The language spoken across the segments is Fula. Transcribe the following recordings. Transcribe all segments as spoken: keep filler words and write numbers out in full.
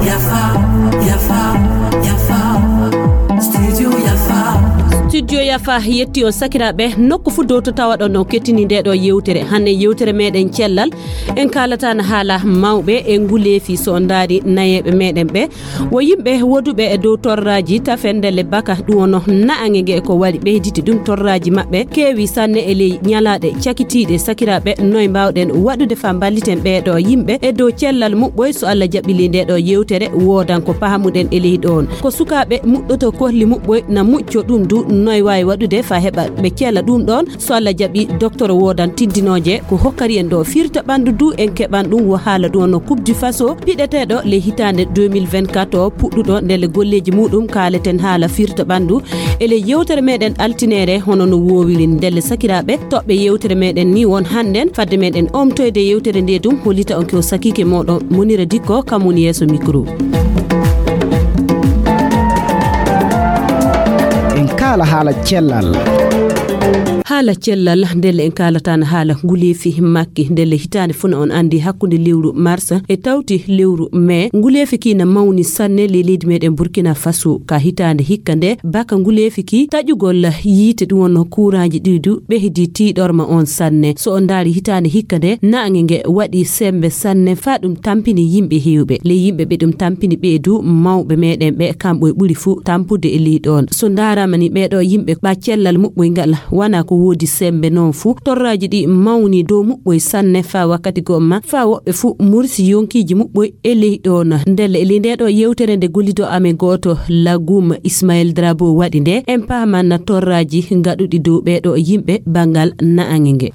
Yafa, yafa, yafa. Studio yafa. Studio yafa yetti on sakiraaɓe, nokku fuu dow to tawaɗon on kettini nde ɗo yewtere. Hannde yewtere meɗen cellal, en kaalata na haala mawɓe e nguleefi so on ndaari nayeeɓe meɗen ɓe. Wo yimɓe woduɓe e dow torraaji tafendele baka ɗum ono na'ange nge ko waɗi ɓeyditi ɗum torraaji maɓɓe keewi sanne e ley ñalaaɗe cakitiiɗe sakiraaɓe. Noy mbaawɗen waɗude faa mballiten ɓee ɗo yimɓe e dow cellal muɓɓoy? So Allah jaɓɓili nde ɗo yewtere woodan ko pahamuɗen e ley ɗoon. Ko sukaaɓe muɗɗoto kohli muɓɓoy na mucco ɗum du noy waawi waɗude faa heɓa ɓe cela ɗum ɗoon? So Allah jaɓi, docteur woodan tiddinooje ko hokkari en ɗo firta ɓanndu du en keɓan ɗum wo haala ɗum no Coupe du Faso piɗeteeɗo le hitaande deux mille vingt-quatre o puɗɗuɗo ndelle golleeji muɗum kaaleten haala firta ɓanndu e le yewtere meɗen altineere hono no woowiri ndelle sakiraaɓe toɓɓe yewtere meɗen ni won hannden fadde meɗen omtoyde yewtere nde dum hollita on ko sakiike moɗon Munira Dikko kam woni yeeso micro. En kaala haala cellal. Haala cellal ndelle en kaalatan haala nguleefi makki ndelle hitaande fuu na on anndi hakkunde lewru mars e tawti lewru mai nguleefi ki na mawni sanne ley leydi meɗen Burkina Faso ka hitaande hikka nde baka nguleefi ki taƴugol yiite ɗum wonno kuuraaji ɗi du ɓehdi tiiɗorma on sanne. So on ndaari hitaande hikka nde naange nge waɗi semmbe sanne faa ɗum tampini yimɓe heewɓe. Ley yimɓe ɓe ɗum tampini ɓee du mawɓe meɗen ɓe kamɓe ɓuri fuu tampude e ley ɗoon. So ndaaraama ni ɓee ɗo yimɓe ɓa cellal muɓɓoy ngal wana ko woodi semmbe noon fuu torraaji ɗi mawni dow muɓɓoy sanne faa wakkati gomma faa woɓɓe fuu mursi yonkiiji muɓɓoy e ley ɗoon. Ndelle e ley nde ɗo yewtere nde gollido amen gooto Lagum Ismaël Drabo waɗi nde en paaman torraaji ngaɗuɗi dow ɓee ɗo yimɓe banngal naange nge.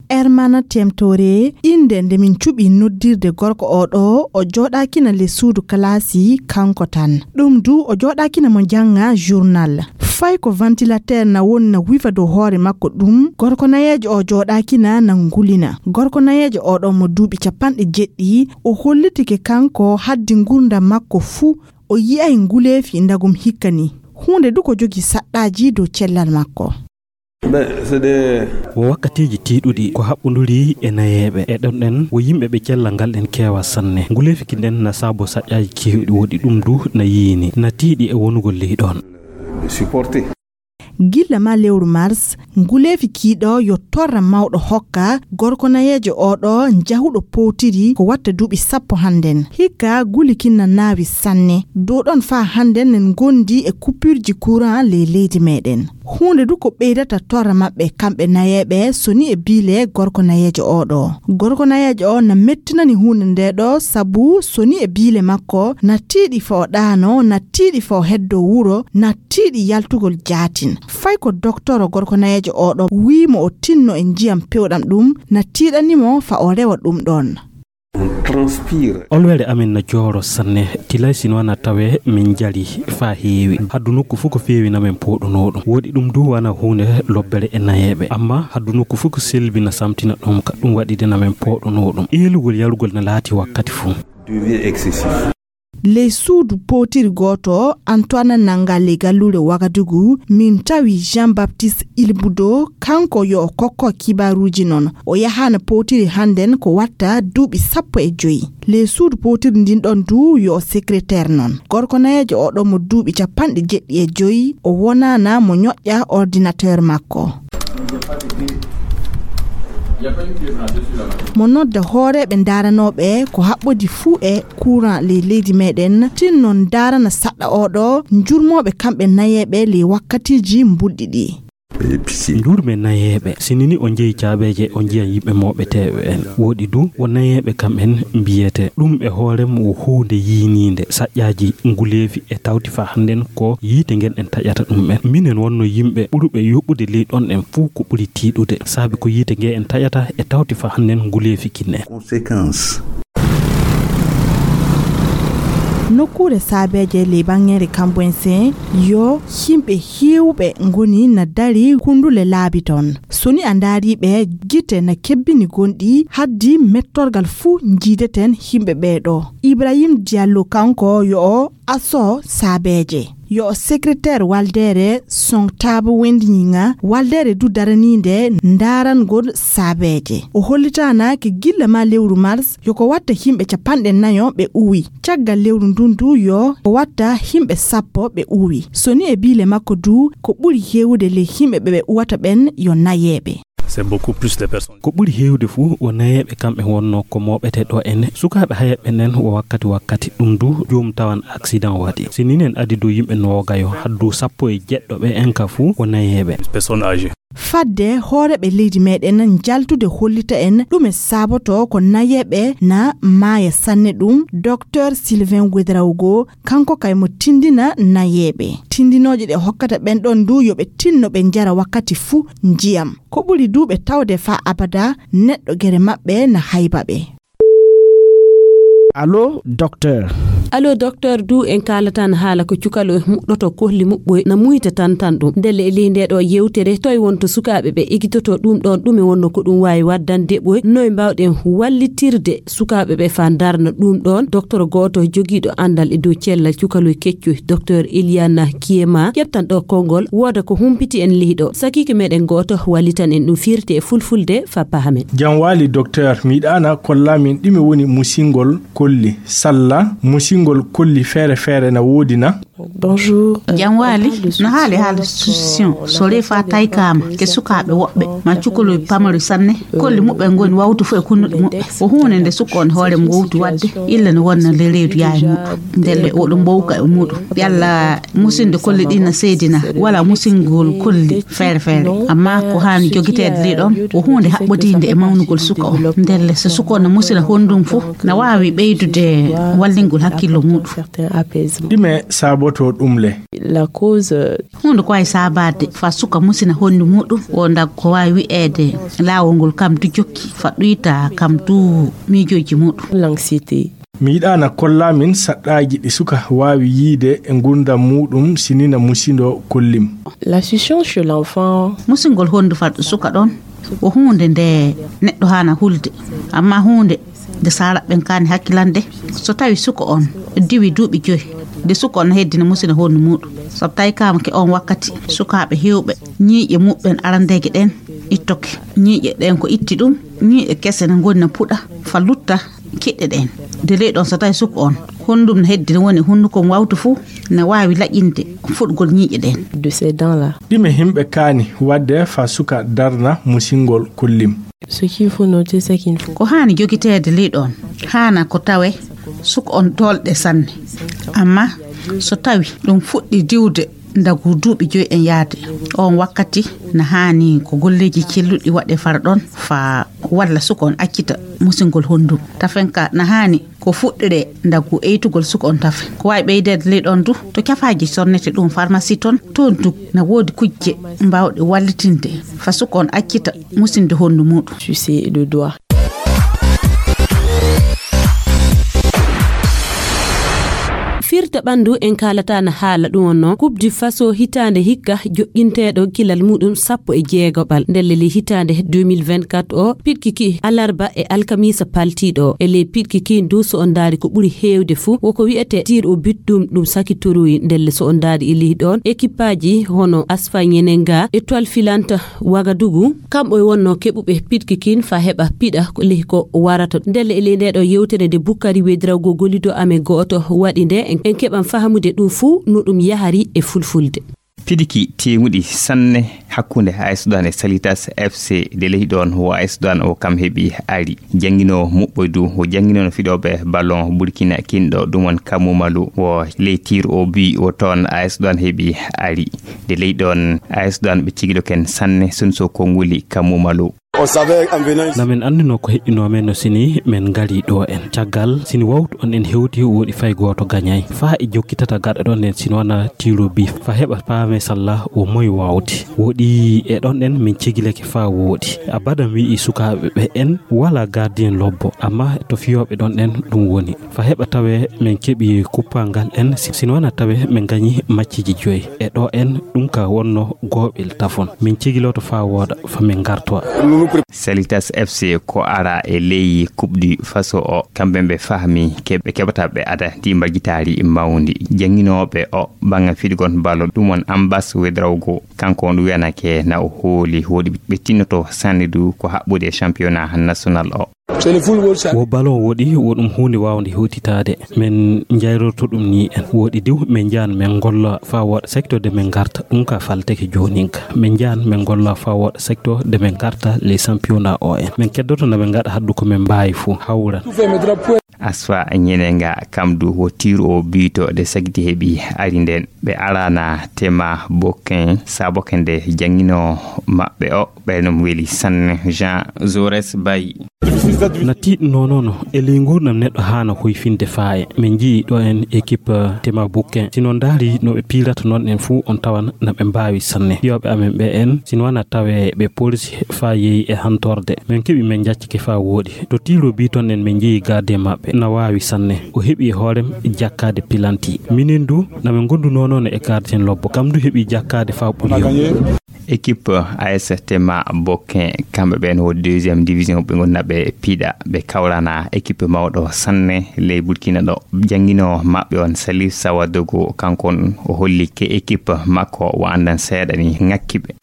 Hermana Temtore, innde nde min cuɓi noddirde gorko o ɗo, o jooɗaakina le suudu kalaasi kanko tan. Ɗum du o jooɗaakina mo jannga journal. Fay ko ventilateur na woni na wifa dow hoore makko ɗum, gorko nayeejo o jooɗaakina na ngulina. Gorko nayeejo o ɗo mo duuɓi capanɗe jeɗɗi, o hollitike kanko haddi ngurdam makko fuu, o yi'ay nguleefi ndagum hikka ni. Huunde du ko jogi saɗɗaaji dow cellal makko. Wo wakkatiiji tiiɗuɗi ko haɓɓunduri e nayeeɓe. E ɗon ɗen wo yimɓe ɓe cellal ngal ɗen keewa sanne. Nguleefi ki nden na saabo saƴƴaaji keewɗi woɗi ɗum du na yiini, na tiiɗi e wonugol ley ɗon. Gilla ma lewru mars, nguleefi kii ɗo yo torra mawɗo hokka gorko nayeejo o ɗo njahuɗo powtiri ko watta duuɓi sappo hannden. Hikka guli kin na naawi sanne. Dow ɗon faa hannden nen ngondi e coupure ji courant ley leydi meɗen. Huunde du ko ɓeydata torra maɓɓe kamɓe nayeeɓe soni e biile gorko nayeejo o ɗo. Gorko nayeejo o na mettinani huunde nde ɗo sabu soni e biile makko na tiiɗi fo o ɗaano, na tiiɗi fo o heddo wuro, na tiiɗi yaltugol jaatin. Fay ko doktoro gorko nayeejo o ɗo wii mo o tinno e njiyam pewɗam ɗum na tiiɗani mo fa o rewa ɗum ɗon. Olwere amen na jooro sanne, tilay sino na tawe min jali faa heewi. Haddu nokku fof ko feewi na men pooɗunoo ɗum. Woɗi ɗum du wana huunde lobbere e nayeeɓe. Amma haddu nokku fof ko selbi na samtina ɗum ka ɗum waɗi de na men pooɗunoo ɗum. Eelugol yarugol na laati wakkati fof. Ley suudu powtiri gooto, Antoine nannga ley galluure Wagadugu, min tawi Jean Baptiste Ilbudo, kanko yo o kokko kibaaruuji non. O yahaana powtiri hannden ko watta duuɓi sappo e joyi. Ley suudu powtiri ndin ɗon du yo o secrétaire non. Gorko nayeejo o ɗon mo duuɓi capanɗe jeɗɗi e joyi, o wonaana mo ñoƴƴa ordinateur makko. Mo nodda hooreeɓe ndaaranooɓe ko haɓɓodi fuu e courant ley leydi meɗen, tinno ndaarana saɗɗa o ɗo njurmooɓe kamɓe nayeeɓe ley wakkatiiji mbulɗi ɗi. Njurme nayeeɓe, sinini o njeyi caabeeje o njiyan yimɓe mooɓeteeɓe en. Woɗi du wo nayeeɓe kam en mbiyete. Ɗum e hoore mum wo huunde yiiniinde. Saƴƴaaji nguleefi e tawti faa hannden ko yiite ngen en taƴata ɗum en. Minen wonno yimɓe ɓuruɓe yoɓude ley ɗon en fuu ko ɓuri tiiɗude. Saabi ko yiite nge en taƴata e tawti faa hannden nguleefi kin en. Nokkuure saabeeje ley baŋŋeere Kamboyse yo yimɓe heewɓe ngoni na dari kundule laabi ton. So ni a ndaari ɓe, gite na kebbini gonɗi, haddi mettorgal fuu njiideten yimɓe ɓee ɗo. Ibrahim Diallo kanko yo o Aso saabeeje. Yo o secrétaire waldeere Song Taabo Wendiñiŋa, waldeere du daraniinde ndarangol saabeeje. O hollitaanaake gilla maa lewru mars yo ko watta yimɓe capanɗe nayo ɓe uwi. Caggal lewru ndun du yo ko watta yimɓe sappo ɓe uwi. So ni e biile makko du ko ɓuri heewude ley yimɓe ɓe ɓe uwata ɓen yo nayeeɓe. C'est beaucoup plus de personnes. Ko ɓuri heewde fuu wo nayeeɓe kamɓe wonnoo ko mooɓete ɗo en. Sukaaɓe hayeeɓe nen wo wakkati wakkati ɗum du joom tawan accident waɗi. Si ninen adi du yimɓe noogayo haddu sappo e jeɗɗo ɓe en ka fuu wo nayeeɓe. Personnes âgées. Fadde hooreeɓe leydi meɗen njaltude hollita en ɗume saabotoo ko nayeeɓe na maaya sanne ɗum, Docteur Sylvain Ouedraogo, kanko kay mo tindina nayeeɓe. Tindinooje ɗe hokkata ɓen ɗon du yo ɓe tinno ɓe njara wakkati fuu njiyam. Ko ɓuri du ɓe tawde faa abada neɗɗo gere maɓɓe na hayba ɓe. Allo, docteur. Allo, docteur, du en kaalatan haala ko cukalo muɗɗoto kohli muɓɓoy na muyta tan tan ɗum. Ndelle e ley nde ɗo yewtere, toy wonto sukaaɓe ɓe ekitoto ɗum ɗon, ɗume wonno ko ɗum waawi waddande ɓoy, noy mbawɗen wallitirde sukaaɓe ɓe faa darna ɗum ɗon? Docteur gooto jogiiɗo anndal e dow cellal cukaloy keccoy, Docteur Eliana Kiema, ƴettan ɗo konngol, wooda ko humpiti en ley ɗo. Sakiike meɗen gooto wallitan en ɗum firti e fulfulde faa pahamen. Jam waali, docteur, mi yiɗaana kollaa min ɗume woni musingol kolli, salla musingol kolli feere feere na woodi na? Bonjour. Jam waali, no haali haala solution, so refa taykaama ke sukaaɓe woɓɓe, ma cukaloy pamari sanne, kolli muɓɓen ngoni wawtu fof e kunnuɗe muɓɓe. Ko huunde nde suka on hoore mum wowti waɗde, illa ne wonna le reedu yaay muɗum. Ndelle oɗo mbowka e muɗum. Yalla musinde kolli ɗin na seedina, wala musingol kolli feere feere. Amma ko haani jogiteede li ɗon, ko huunde haɓɓodiinde e mawnugol suka on. Ndelle so suka on na musina honndum fof, na waawi ɓeydude wallingol hakkillo muɗum. Ɗime saabotoo ɗum le? La cause, euh, huunde ko waawi saabaade fa suka musina honndi muɗum, o ndag ko waawi wi'eede laawol ngol kam du jokki, fa ɗuyta kam du miijooji muɗum. L'anxiété. Mi yiɗaana kollaa min saɗɗaaji ɗi suka waawi yiide e ngurndan muɗum si ni na musindoo kollim. La souciance chez l'enfant. Musingol honndi fa suka ɗon ko huunde nde neɗɗo haana hulde, amma huunde nde saalaɓɓen kaani hakkilande. So tawi suka on diwi duuɓi joyi, nde suka on heddina musina honndi muɗum. Sabu tawi kaama ke on wakkati, sukaaɓe heewɓe ñiiƴe muɓɓen arandeeje ɗen ittoke. Ñiiƴe ɗen ko itti ɗum, ñiiƴe kese ne ngoni na puɗa, fa lutta kiɗɗe ɗen. Nde ley ɗon so tawi suka on, honndum ne heddina woni hunnuko mo wawtu fuu, ne waawi laƴinde fuɗgol ñiiƴe ɗen. De ces dents-là. Ɗime himɓe kaani waɗde fa suka darna musingol kollim? Ce qu'il faut noter, c'est qu'il faut. Ko haani jogiteede ley ɗon, haana ko tawe suka on dolɗe sanne. Amma so tawi ɗum fuɗɗi diwde ndagu duuɓi joyi en yaade, on wakkati na haani ko golleeji celluɗi waɗe fara ɗon fa walla suka on accita musingol honndum. Tafen ka na haani ko fuɗɗiree ndagu eytugol suka on tafe. Ko waawi ɓeydeede ley ɗon du, to cafaaji sonnete ɗum pharmacie ton, toon du na woodi kujje mbaawɗe wallitinde fa suka on accita musinde hondu muɗum. Sucer le doigt. Firta ɓanndu en kaalataana haala ɗum wonno Coupe du Faso hitaande hikka joƴƴinteeɗo kilal muɗum sappo e jeegoɓal. Ndelle le hitaande deux mille vingt-quatre o, piɗkiki alarba e alkamiisa paltiiɗo o. E ley piɗkiki ndu, so on ndaari ko ɓuri heewde fuu, woko wi'etee tir au but, ɗum, ɗum sakitoroyi. Ndelle so on ndaari e ley ɗoon, ekipaaji hono Asfa Nyenenga, Etoile Filante Wagadugu, kamɓe wonno keɓuɓe piɗki kin fa heɓa piɗa ko ley ko warata. Ndelle e ley ndee ɗoo yewtere nde Bukkari Wedirago gollido amen gooto waɗi nde, en, en keɓan fahamude ɗum fuu no ɗum yahari e fulfulde. Piɗki teeŋuɗi sanne hakkunde A S Douane e Salitas F C. De ley ɗoon wo A S Douane o kam heɓi ari. Jannginoowo muɓɓoy du, wo jannginoono fiɗooɓe ballon Burkina kinɗo, ɗum won Kamu Malu, wo ley tir au but wo toon A S Douane heɓi ari. De ley ɗoon A S Douane ɓe cigiloken sanne, Sunso Konguli Kamu Malu. Namin anndinoo ko heƴƴinoo men no sini men ngari ɗo en. Caggal sini wawtu on en hewti woɗi fay gooto gañay. Faa e jokkitata gaɗa ɗon en sini wana tiro bi. Fa heɓa paame salla o moy wawde. Woɗi e ɗon en min cigileke faa woɗi. Abada mi wi'i sukaaɓe ɓe en wala gardien lobbo. Amma to fiyooɓe ɗon en ɗum woni. Fa heɓa tawe men keɓi kuppangal en, si, sino wana tawe men gañi macciji joyi. E ɗo en ɗum ka wonno gooɓel tafon. Min cigiloto faa wooda, fa min ngartowa. Salitas F C ko ara e ley Coupe du Faso o, kamɓe ɓe fahmi ke ɓe keɓata ɓe ada ndi mbagitaari mawndi. Jannginooɓe o bannga fiɗgol balo ɗum on Ambas Wedrawgo, kanko on wiyanake na o hooli woɗi ɓe tinnoto sanne du ko haɓɓude e championnat national o. Wo ballon woɗi, wo ɗum huunde waawnde hewtitaade. Min njayrorto ɗum ni en. Woɗi diw, min njahan min ngolla faa wooɗa secteur de min ngarta. Ɗum ka falteke joonin ka. Min njahan min ngolla faa wooɗa secteur de min ngarta les championnats o en. Min keddoto na min ngaɗa haddu ko min mbaawi fof hawran. Asfa Ñenenga kam du wo tiiru o biito de sagdi heɓi ari nden. Ɓe arana tema bokin, saboke nde jannginoo maɓɓe o, ɓe ɗum weli sanne. Jean Zores Bayi. Na tiiɗnoo noon e ley nguurndam neɗɗo haana hoyfinde faaye. Min njii ɗo en équipe tema bokin. Si noon ndaari no ɓe piirata noon en fuu on tawan na ɓe mbaawi sanne. Fiyooɓe amen ɓe en, si no wana tawe ɓe polisi faa yehi e hantorde. Min keɓi min njaccike faa wooɗi. To tiiro bi toon en min njii gardien maɓɓe na waawi sanne. O heɓi e hoorem jakkaade pilanti. Minen du na min ngondunoo noon e gardien lobbo. Kam du heɓi jakkaade faa ɓuri. Équipe A S Tema Bokin, kamɓe ɓeen wo deuxième division ɓe ngonna ɓe piɗa, ɓe kawrana équipe mawɗo sanne ley Burkina ɗo. Jannginoo maɓɓe on Salif Sawadogo, kanko on o holli ke équipe makko o anndan seeɗa ni ŋakki ɓe.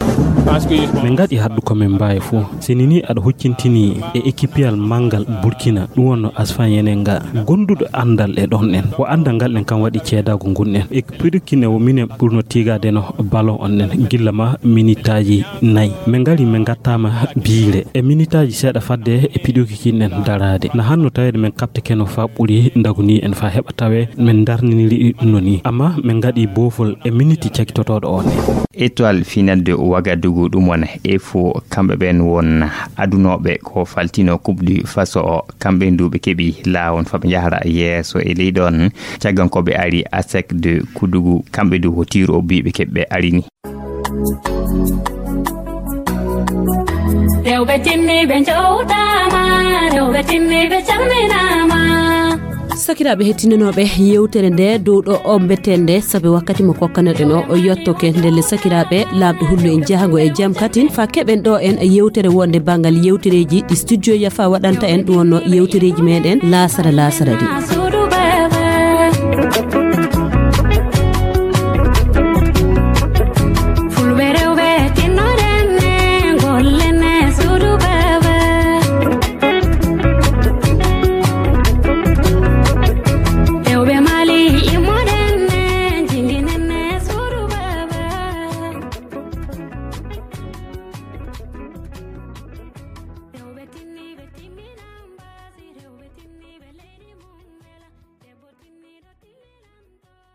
Min ngaɗi haddu ko min mbaawi fof. Sini ni aɗa huccintini e équipeyal manngal Burkina, ɗum wonno Asfa Yenenga, gonduɗo anndal e ɗon en. Wo anndal ngal en kam waɗi ceedaagu ngun en. E Burkina wo minen ɓurno tiigaade no ballon on en, gilla ma minitaaji nayi. Min ngari min ngattaama biire. E minitaaji seeɗa fadde e piɗuki kin en daraade. Na hanno taweede min kaɓtekeno faa ɓuri ndagu ni en faa heɓa tawe min ndarniniri ɗum no ni. Amma min ngaɗi boofol e miniti cakitotooɗo on en. Étoile Finale de Ouagadougou ɗum wona Efo, kamɓe ɓeen won adunooɓe ko faltino Coupe du Faso o. Kamɓe ndu ɓe keɓi laawol faa ɓe njahra yeeso e ley ɗon. Caggan ko ɓe ari A S E C de Koudougou, kamɓe ndu ko tiiru o bi ɓe keɓi ɓe ari ni. Rewɓe timmiiɓe njowtaama, rewɓe timmiiɓe calminaama. Sakiraaɓe hettinanooɓe yewtere nde dow ɗo o mbetten nde, sabi wakkati mo kokkanoɗen o, o yottoke. Ndelle sakiraaɓe, Laamɗo hullu en jahago e jam katin, faa keɓen ɗo en yewtere wonde banngal yewtereeji ɗi studio Yafa waɗanta en, ɗum wonno yewtereeji meɗen laasara laasara ɗi.